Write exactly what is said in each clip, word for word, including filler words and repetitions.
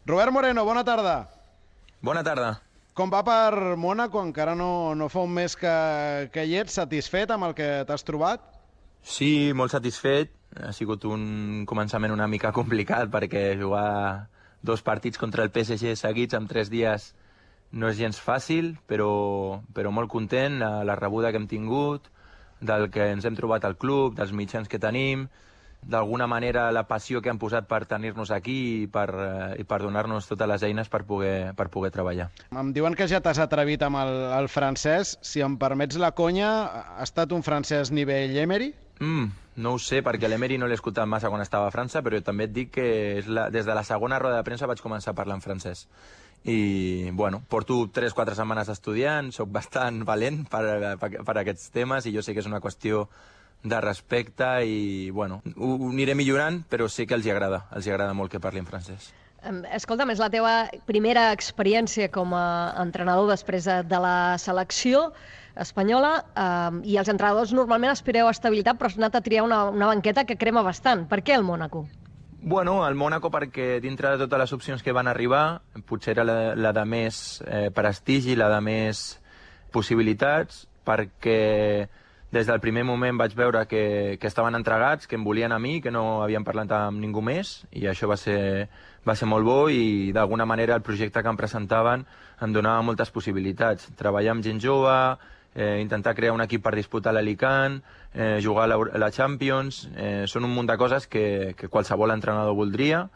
Robert Moreno, bona tarda. Bona tarda. Com va per Mònaco? Encara no, no fa un mes que, que hi ets. Satisfet amb el que t'has trobat? Sí, molt satisfet. Ha sigut un començament una mica complicat perquè jugar dos partits contra el P S G seguits en tres dies no és gens fàcil, però, però molt content de la rebuda que hem tingut, del que ens hem trobat al club, dels mitjans que tenim, d'alguna manera la passió que han posat per tenir-nos aquí i per, eh, i per donar-nos totes les eines per poder, per poder treballar. Em diuen que ja t'has atrevit amb el, el francès. Si em permets la conya, ha estat un francès nivell Emery? Mm, no ho sé, perquè l'Emery no l'he escoltat massa quan estava a França, però també et dic que és la, des de la segona roda de premsa vaig començar a parlar en francès. I, bueno, porto tres o quatre setmanes estudiant, soc bastant valent per, per, per aquests temes i jo sé que és una qüestió de respecte i, bueno, ho, ho aniré millorant, però sé que els hi agrada, els hi agrada molt que parli en francès. Escolta'm, és la teva primera experiència com a entrenador després de la selecció espanyola eh, i els entrenadors normalment aspireu a estabilitat, però has anat a triar una, una banqueta que crema bastant. Per què el Mònaco? Bueno, el Mònaco perquè dintre de totes les opcions que van arribar, potser era la, la de més eh, prestigi, la de més possibilitats, perquè des del primer moment vaig veure que, que estaven entregats, que em volien a mi, que no havien parlat amb ningú més, i això va ser, va ser molt bo i d'alguna manera el projecte que em presentaven em donava moltes possibilitats. Treballar amb gent jove, eh, intentar crear un equip per disputar l'Alicant, eh, jugar a la, a la Champions, eh, són un munt de coses que, que qualsevol entrenador voldria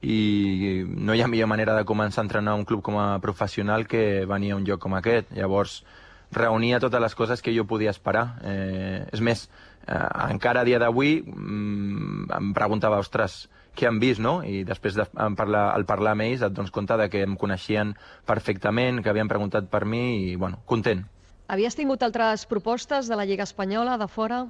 i no hi ha millor manera de començar a entrenar un club com a professional que venir a un lloc com aquest. Llavors, reunia totes les coses que jo podia esperar. Eh, és més, eh, encara a dia d'avui mm, em preguntava, ostres, què han vist, no? I després de parlar, al parlar amb ells et dones compte de que em coneixien perfectament, que havien preguntat per mi i, bueno, content. Havies tingut altres propostes de la Lliga Espanyola, de fora?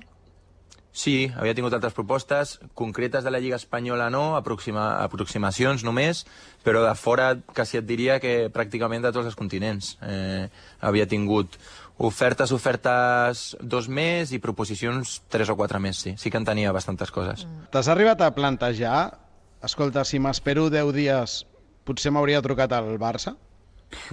Sí, havia tingut altres propostes, concretes de la Lliga Espanyola no, aproxima, aproximacions només, però de fora quasi et diria que pràcticament de tots els continents. Eh, havia tingut ofertes, ofertes dos més i proposicions tres o quatre més, sí. Sí que en tenia bastantes coses. Mm. T'has arribat a plantejar, escolta, si m'espero deu dies, potser m'hauria trucat al Barça?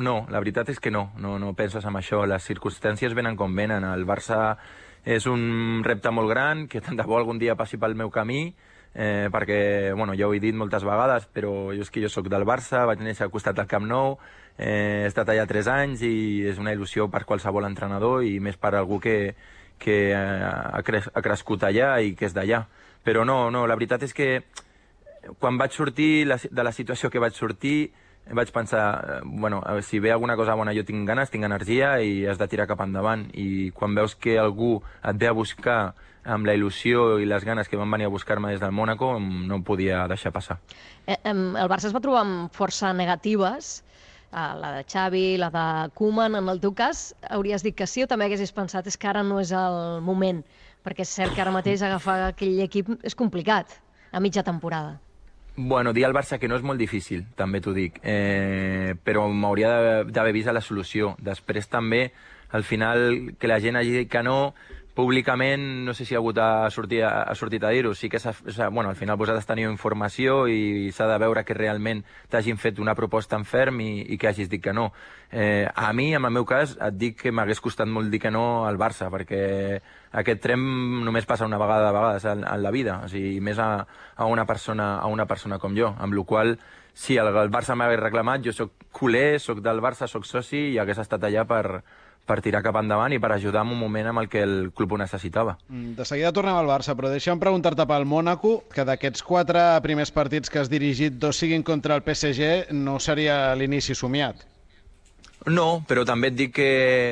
No, la veritat és que no, no, no penses en això. Les circumstàncies venen com venen. El Barça és un repte molt gran, que tant de bo algun dia passi pel meu camí, eh, perquè, bueno, ja ho he dit moltes vegades, però jo és que jo sóc del Barça, vaig néixer al costat del Camp Nou, eh, he estat allà tres anys i és una il·lusió per qualsevol entrenador i més per algú que, que ha, cres ha crescut allà i que és d'allà. Però no, no, la veritat és que quan vaig sortir la, de la situació que vaig sortir, vaig pensar, bueno, si ve alguna cosa bona jo tinc ganes, tinc energia i has de tirar cap endavant. I quan veus que algú et ve a buscar amb la il·lusió i les ganes que van venir a buscar-me des del Mònaco, no em podia deixar passar. Eh, el Barça es va trobar amb força negatives, la de Xavi, la de Koeman. En el teu cas, hauries dit que sí o també haguessis pensat és que ara no és el moment? Perquè és cert que ara mateix agafar aquell equip és complicat, a mitja temporada. Bueno, dir al Barça que no és molt difícil, també t'ho dic, eh, però m'hauria d'haver vist la solució. Després també, al final, que la gent hagi dit que no, públicament, no sé si ha hagut a sortir, a sortit a dir-ho, sí que bueno, al final vosaltres teniu informació i s'ha de veure que realment t'hagin fet una proposta en ferm i, i que hagis dit que no. Eh, a mi, en el meu cas, et dic que m'hagués costat molt dir que no al Barça, perquè aquest tren només passa una vegada de vegades en, en la vida, o sigui, més a, a, una persona, a una persona com jo, amb la qual si el, el Barça m'hagués reclamat, jo sóc culer, sóc del Barça, sóc soci i hagués estat allà per, per tirar cap endavant i per ajudar en un moment en el que el club ho necessitava. De seguida tornem al Barça, però deixa'm preguntar-te pel Mònaco, que d'aquests quatre primers partits que has dirigit, dos siguin contra el P S G, no seria l'inici somiat? No, però també et dic que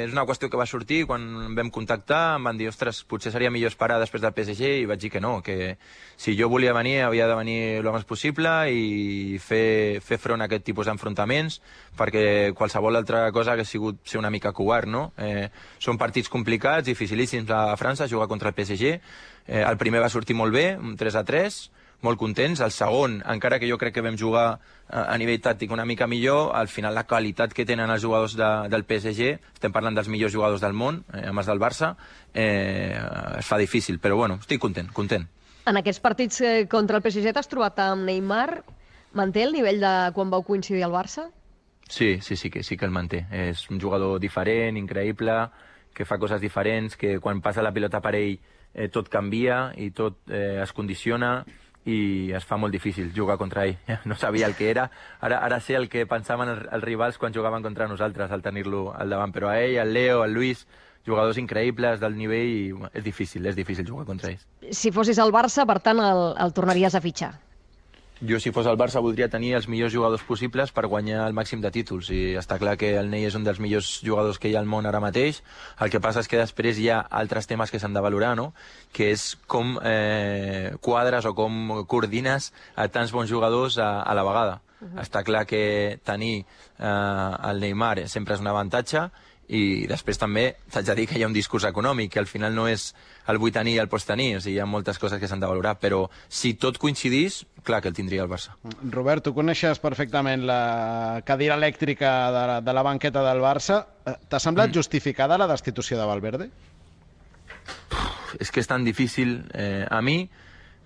és una qüestió que va sortir quan em vam contactar, em van dir, ostres, potser seria millor esperar després del P S G, i vaig dir que no, que si jo volia venir havia de venir el més possible i fer, fer front a aquest tipus d'enfrontaments, perquè qualsevol altra cosa hagués sigut ser una mica covard, no? Eh, són partits complicats, dificilíssims a França, jugar contra el P S G. Eh, el primer va sortir molt bé, un tres a tres, molt contents. El segon, encara que jo crec que vam jugar a nivell tàctic una mica millor, al final la qualitat que tenen els jugadors de, del P S G, estem parlant dels millors jugadors del món, eh, amb els del Barça, eh, es fa difícil, però bueno, estic content, content. En aquests partits eh, contra el P S G t'has trobat amb Neymar, Manté el nivell de quan vau coincidir al Barça? Sí, sí, sí que, sí que el manté. És un jugador diferent, increïble, que fa coses diferents, que quan passa la pilota per ell eh, tot canvia i tot eh, es condiciona i es fa molt difícil jugar contra ell. No sabia el que era. Ara, ara sé el que pensaven els, els rivals quan jugaven contra nosaltres al tenir-lo al davant. Però a ell, al Leo, al Luis, jugadors increïbles del nivell i bueno, és difícil, és difícil jugar contra ells. Si fossis al Barça, per tant, el, el tornaries a fitxar? Jo, si fos al Barça, voldria tenir els millors jugadors possibles per guanyar el màxim de títols. I està clar que el Ney és un dels millors jugadors que hi ha al món ara mateix. El que passa és que després hi ha altres temes que s'han de valorar, no? Que és com eh, quadres o com coordines a tants bons jugadors a, a la vegada. Uh -huh. Està clar que tenir eh, el Neymar sempre és un avantatge, i després també t'haig de dir que hi ha un discurs econòmic, que al final no és el vull tenir i el pots tenir, o sigui, hi ha moltes coses que s'han de valorar, però si tot coincidís, clar que el tindria el Barça. Robert, tu coneixes perfectament la cadira elèctrica de la, de la banqueta del Barça. T'ha semblat mm. justificada la destitució de Valverde? Uf, és que és tan difícil. Eh, a mi,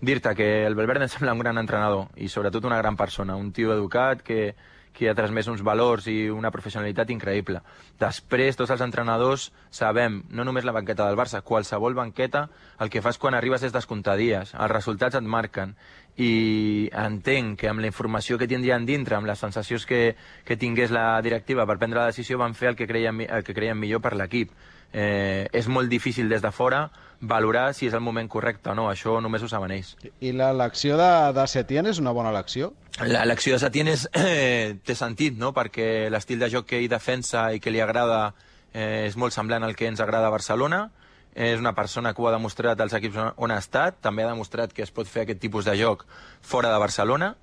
dir-te que el Valverde em sembla un gran entrenador i sobretot una gran persona, un tio educat que que ha transmès uns valors i una professionalitat increïble. Després, tots els entrenadors sabem, no només la banqueta del Barça, qualsevol banqueta, el que fas quan arribes és descomptar dies, els resultats et marquen, i entenc que amb la informació que tindrien dintre, amb les sensacions que, que tingués la directiva per prendre la decisió, van fer el que creien, el que creien millor per l'equip. Eh, és molt difícil des de fora valorar si és el moment correcte o no, això només ho saben ells. I l'elecció de, de Setién és una bona elecció? L'elecció de Setién és, eh, té sentit, no? Perquè l'estil de joc que ell defensa i que li agrada eh, és molt semblant al que ens agrada a Barcelona. És una persona que ho ha demostrat als equips on ha estat, també ha demostrat que es pot fer aquest tipus de joc fora de Barcelona,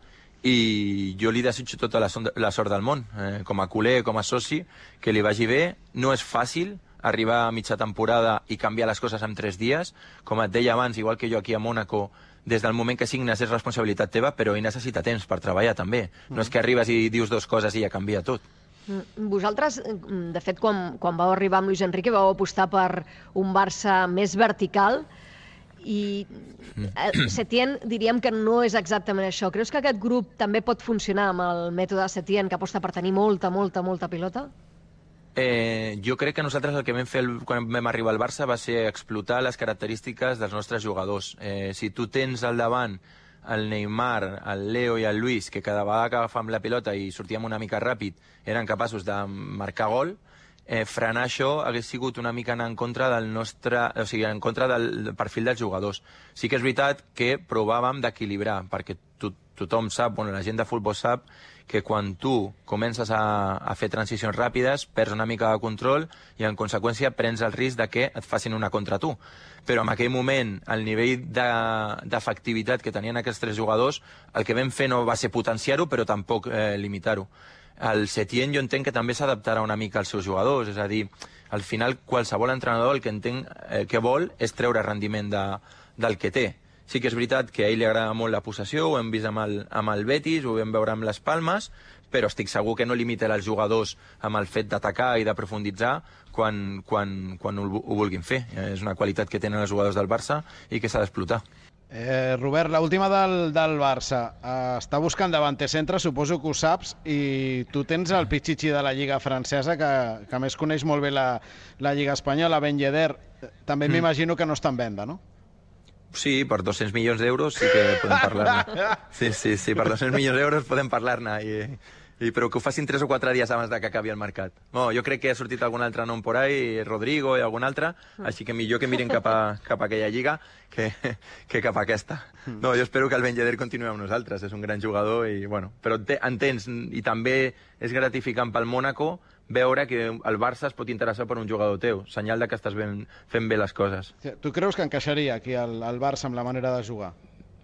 i jo li desitjo tota la, son la sort del món, eh, com a culer, com a soci, que li vagi bé. No és fàcil arribar a mitja temporada i canviar les coses en tres dies. Com et deia abans, igual que jo aquí a Mònaco, des del moment que signes és responsabilitat teva, però ell necessita temps per treballar també. No és que arribes i dius dues coses i ja canvia tot. Vosaltres, de fet, quan, quan vau arribar amb Luis Enrique, vau apostar per un Barça més vertical, i Setién diríem que no és exactament això. Creus que aquest grup també pot funcionar amb el mètode Setién, que aposta per tenir molta, molta, molta pilota? Eh, jo crec que nosaltres el que vam fer el, quan vam arribar al Barça va ser explotar les característiques dels nostres jugadors. Eh, si tu tens al davant el Neymar, el Leo i el Luis, que cada vegada que agafàvem la pilota i sortíem una mica ràpid eren capaços de marcar gol, eh, frenar això hagués sigut una mica anar en contra del nostre, o sigui, en contra del perfil dels jugadors. Sí que és veritat que provàvem d'equilibrar, perquè to tothom sap, bueno, la gent de futbol sap que quan tu comences a, a fer transicions ràpides perds una mica de control i en conseqüència prens el risc de que et facin una contra tu. Però en aquell moment el nivell d'efectivitat de, que tenien aquests tres jugadors, el que vam fer no va ser potenciar-ho però tampoc eh, limitar-ho. El Setién jo entenc que també s'adaptarà una mica als seus jugadors, és a dir, al final qualsevol entrenador el que entenc eh, que vol és treure rendiment de, del que té. Sí que és veritat que a ell li agrada molt la possessió, ho hem vist amb el, amb el Betis, ho vam veure amb les Palmes, però estic segur que no limita els jugadors amb el fet d'atacar i de profunditzar quan, quan, quan ho, ho vulguin fer. És una qualitat que tenen els jugadors del Barça i que s'ha d'explotar. Eh, Robert, l'última del, del Barça. Eh, està buscant davanter centre, suposo que ho saps, i tu tens el pitxitxi de la Lliga francesa, que, que més coneix molt bé la, la Lliga espanyola, Ben Yedder. També mm. m'imagino que no està en venda, no? Sí, per dos-cents milions d'euros sí que podem parlar-ne. Sí, sí, sí, per dos-cents milions d'euros podem parlar-ne, i, i, però que ho facin tres o quatre dies abans de que acabi el mercat. No, jo crec que ha sortit algun altre nom por ahí, Rodrigo i algun altre, així que millor que mirin cap a, cap a aquella lliga que, que cap a aquesta. No, jo espero que el Ben Yedder continuï amb nosaltres, és un gran jugador, i, bueno, però entens, i també és gratificant pel Mònaco veure que el Barça es pot interessar per un jugador teu, senyal de que estàs ben, fent bé les coses. Tu creus que encaixaria aquí el, el Barça amb la manera de jugar?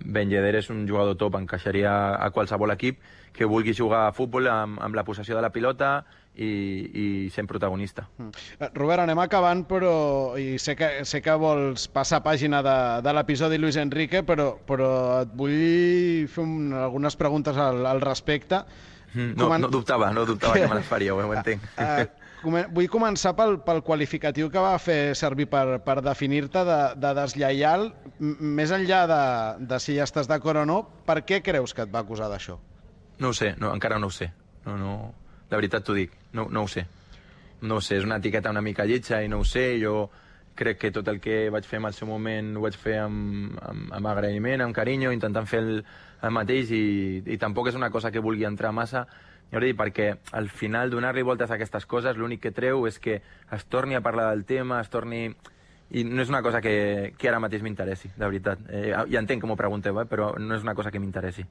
Ben Yedder és un jugador top, encaixaria a qualsevol equip que vulgui jugar a futbol amb, amb la possessió de la pilota i, i sent protagonista. Mm. Robert, anem acabant, però i sé que, sé que vols passar pàgina de, de l'episodi Luis Enrique, però, però et vull fer un, algunes preguntes al, al respecte. No, Comen... no dubtava, no dubtava que me les faria, ho entenc. Uh, uh, vull començar pel, pel qualificatiu que va fer servir per, per definir-te de, de deslleial. Més enllà de, de si ja estàs d'acord o no, per què creus que et va acusar d'això? No ho sé, no, encara no ho sé. No, no, de veritat t'ho dic, no, no ho sé. No ho sé, és una etiqueta una mica lletja i no ho sé. Jo crec que tot el que vaig fer en el seu moment ho vaig fer amb, amb, amb agraïment, amb carinyo, intentant fer el, el mateix i, i tampoc és una cosa que vulgui entrar massa, jo dir, perquè al final donar-li voltes a aquestes coses l'únic que treu és que es torni a parlar del tema, es torni... I no és una cosa que, que ara mateix m'interessi, de veritat. Eh, ja entenc que m'ho pregunteu, eh, però no és una cosa que m'interessi.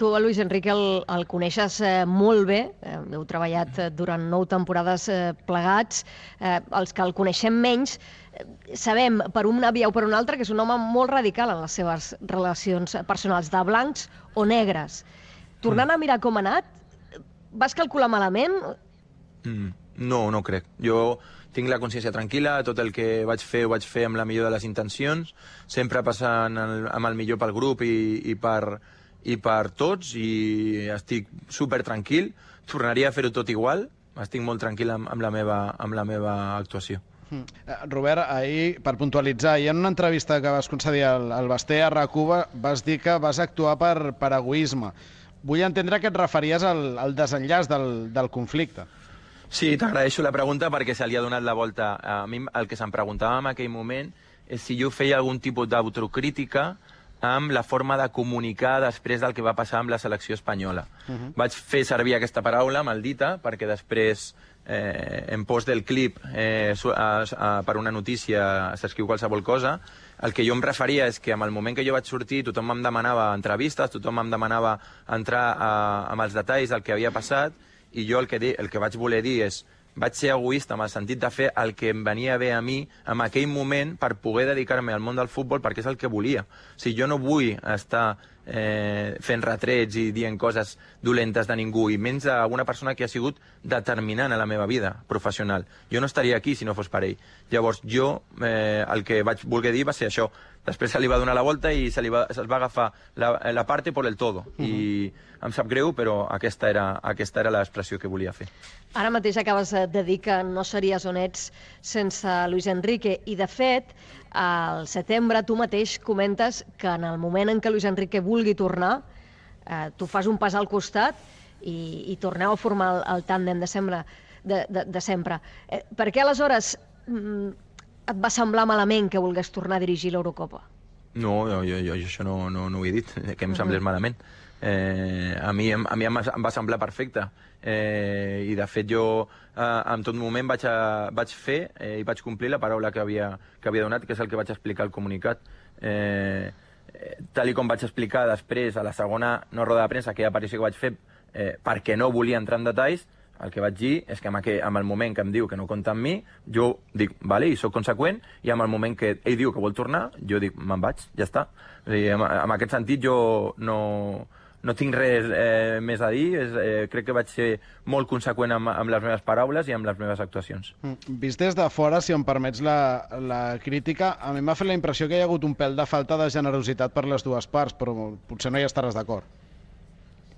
Tu, Luis Enrique, el, el coneixes eh, molt bé, eh, heu treballat eh, durant nou temporades eh, plegats, eh, els que el coneixem menys, eh, sabem per una via o per una altra que és un home molt radical en les seves relacions personals, de blancs o negres. Tornant a mirar com ha anat, vas calcular malament? Mm, no, no crec. Jo tinc la consciència tranquil·la, tot el que vaig fer ho vaig fer amb la millor de les intencions, sempre passant el, amb el millor pel grup i, i, per, i per tots, i estic super tranquil. Tornaria a fer-ho tot igual, estic molt tranquil amb, amb, la meva, amb la meva actuació. Mm. Robert, ahir, per puntualitzar, i en una entrevista que vas concedir al, al Basté a RAC1 vas dir que vas actuar per, per egoisme. Vull entendre que et referies al, al desenllaç del, del conflicte. Sí, t'agraeixo la pregunta perquè se li ha donat la volta. A mi el que se'm preguntava en aquell moment és si jo feia algun tipus d'autocrítica amb la forma de comunicar després del que va passar amb la selecció espanyola. Uh-huh. Vaig fer servir aquesta paraula, maldita, perquè després eh, en post del clip eh, a, a, per una notícia s'escriu qualsevol cosa. El que jo em referia és que en el moment que jo vaig sortir tothom em demanava entrevistes, tothom em demanava entrar a, amb els detalls del que havia passat, i jo el que, di, el que vaig voler dir és vaig ser egoista amb el sentit de fer el que em venia bé a mi en aquell moment per poder dedicar-me al món del futbol perquè és el que volia. O sigui, jo no vull estar eh, fent retrets i dient coses dolentes de ningú, i menys d'una persona que ha sigut determinant a la meva vida professional. Jo no estaria aquí si no fos per ell. Llavors, jo eh, el que vaig voler dir va ser això. Després se li va donar la volta i se li va, se va agafar la, la parte por el todo. Uh-huh. I em sap greu, però aquesta era, aquesta era l'expressió que volia fer. Ara mateix acabes de dir que no series on ets sense Luis Enrique, i de fet, al setembre tu mateix comentes que en el moment en què Luis Enrique vulgui tornar, eh, tu fas un pas al costat i, i torneu a formar el, el tàndem de sempre. De, de, de sempre. Eh, per què aleshores mm, et va semblar malament que volgués tornar a dirigir l'Eurocopa? No, jo, jo, jo això no, no, no ho he dit, que em semblés uh-huh. malament. Eh, a mi, a mi em va semblar perfecte. Eh, I de fet jo eh, en tot moment vaig, a, vaig fer eh, i vaig complir la paraula que havia, que havia donat, que és el que vaig explicar al comunicat. Eh, eh, tal i com vaig explicar després a la segona no roda de premsa, aquella aparició que vaig fer eh, perquè no volia entrar en detalls, el que vaig dir és que en, aquell, en el moment que em diu que no compta amb mi, jo dic, vale, i sóc conseqüent, i en el moment que ell diu que vol tornar, jo dic, me'n vaig, ja està. O sigui, en, en aquest sentit jo no, no tinc res eh, més a dir, és, eh, crec que vaig ser molt conseqüent amb, amb les meves paraules i amb les meves actuacions. Mm. Vist des de fora, si em permets la, la crítica, a mi m'ha fet la impressió que hi ha hagut un pèl de falta de generositat per les dues parts, però potser no hi estaràs d'acord.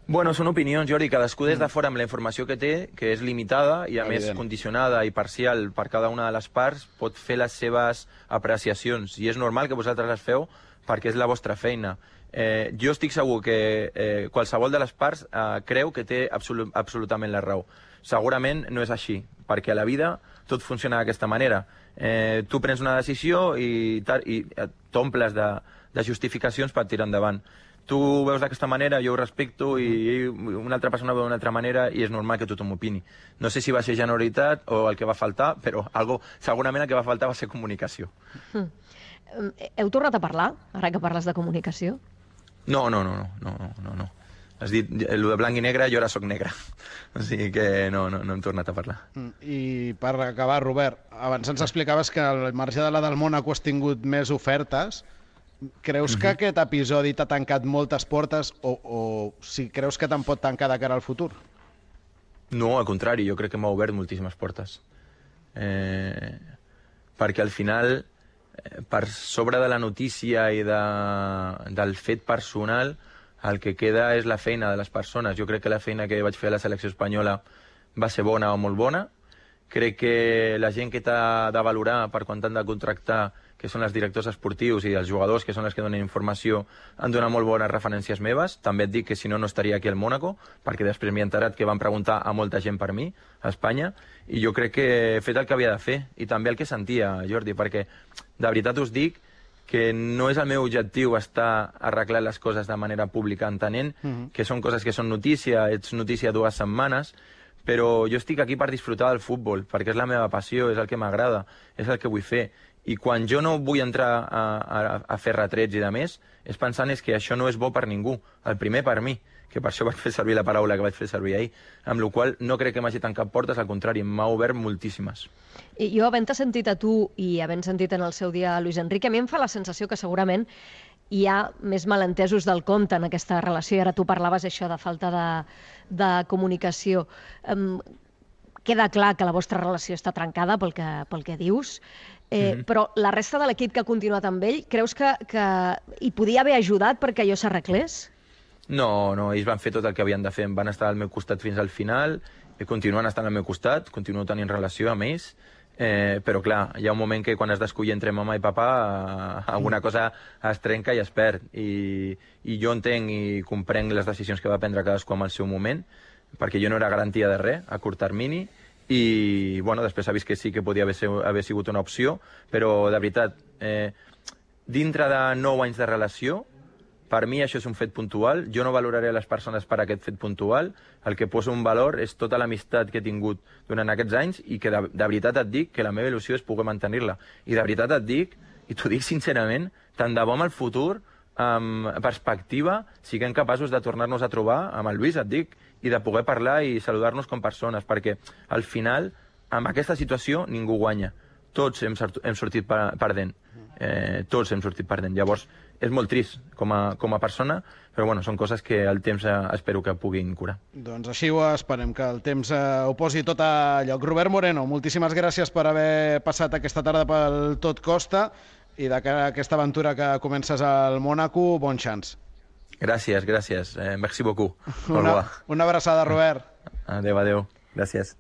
Bueno, són opinions, Jordi, cadascú des de fora amb la informació que té, que és limitada i a Evident. més condicionada i parcial per cada una de les parts, pot fer les seves apreciacions, i és normal que vosaltres les feu perquè és la vostra feina. Eh, jo estic segur que eh, qualsevol de les parts eh, creu que té absolut, absolutament la raó. Segurament no és així, perquè a la vida tot funciona d'aquesta manera. Eh, tu prens una decisió i, i t'omples de, de justificacions per tirar endavant. Tu ho veus d'aquesta manera, jo ho respecto, i una altra persona ho veu d'una altra manera, i és normal que tothom opini. No sé si va ser generositat o el que va faltar, però algo, segurament el que va faltar va ser comunicació. Mm. Heu tornat a parlar, ara que parles de comunicació? No, no, no, no, no, no, no. Has dit, el de blanc i negre, jo ara sóc negre. O sigui que no, no, no hem tornat a parlar. I per acabar, Robert, abans ens explicaves que al marge de la del Mónaco has tingut més ofertes. Creus que aquest episodi t'ha tancat moltes portes o, o si creus que te'n pot tancar de cara al futur? No, al contrari, jo crec que m'ha obert moltíssimes portes. Eh, perquè al final, eh, per sobre de la notícia i de, del fet personal, el que queda és la feina de les persones. Jo crec que la feina que vaig fer a la selecció espanyola va ser bona o molt bona, Crec que la gent que t'ha de valorar per quan t'han de contractar, que són els directors esportius i els jugadors, que són els que donen informació, han donat molt bones referències meves. També et dic que si no, no estaria aquí al Mónaco, perquè després m'he enterat que van preguntar a molta gent per mi, a Espanya, i jo crec que he fet el que havia de fer, i també el que sentia, Jordi, perquè de veritat us dic que no és el meu objectiu estar arreglant les coses de manera pública, entenent uh-huh. que són coses que són notícia, ets notícia dues setmanes, però jo estic aquí per disfrutar del futbol, perquè és la meva passió, és el que m'agrada, és el que vull fer. I quan jo no vull entrar a, a, a fer retrets i de més, és pensant és que això no és bo per ningú, el primer per mi, que per això vaig fer servir la paraula que vaig fer servir ahir, amb la qual no crec que m'hagi tancat portes, al contrari, m'ha obert moltíssimes. I jo, havent-te sentit a tu i havent sentit en el seu dia a Luis Enrique, a mi em fa la sensació que segurament hi ha més malentesos del compte en aquesta relació, i ara tu parlaves això de falta de, de comunicació. Um, queda clar que la vostra relació està trencada pel que, pel que dius, eh, mm-hmm. però la resta de l'equip que ha continuat amb ell, creus que, que hi podia haver ajudat perquè allò s'arreglés? No, no, ells van fer tot el que havien de fer, van estar al meu costat fins al final, i continuen estant al meu costat, continuo tenint relació amb ells, eh, però clar, hi ha un moment que quan has d'escollir entre mama i papa, eh, alguna cosa es trenca i es perd, i, i jo entenc i comprenc les decisions que va prendre cadascú en el seu moment, perquè jo no era garantia de res a curt termini, i bueno, després ha vist que sí que podia haver, ser, haver sigut una opció, però de veritat, eh, dintre de nou anys de relació, per mi això és un fet puntual, jo no valoraré les persones per aquest fet puntual, el que poso un valor és tota l'amistat que he tingut durant aquests anys i que de, de veritat et dic que la meva il·lusió és poder mantenir-la. I de veritat et dic, i t'ho dic sincerament, tant de bo amb el futur, amb perspectiva, siguem capaços de tornar-nos a trobar amb el Lluís, et dic, i de poder parlar i saludar-nos com persones, perquè al final, amb aquesta situació, ningú guanya. Tots hem, hem sortit perdent. Eh, tots hem sortit perdent. Llavors, és molt trist com a, com a persona, però bueno, són coses que el temps eh, espero que puguin curar. Doncs així ho esperem, que el temps eh, ho posi tot a lloc. Robert Moreno, moltíssimes gràcies per haver passat aquesta tarda pel Tot Costa i de cara a aquesta aventura que comences al Mónaco, bon chance. Gràcies, gràcies. Eh, merci beaucoup. Una, una abraçada, Robert. Adéu, adéu. Gràcies.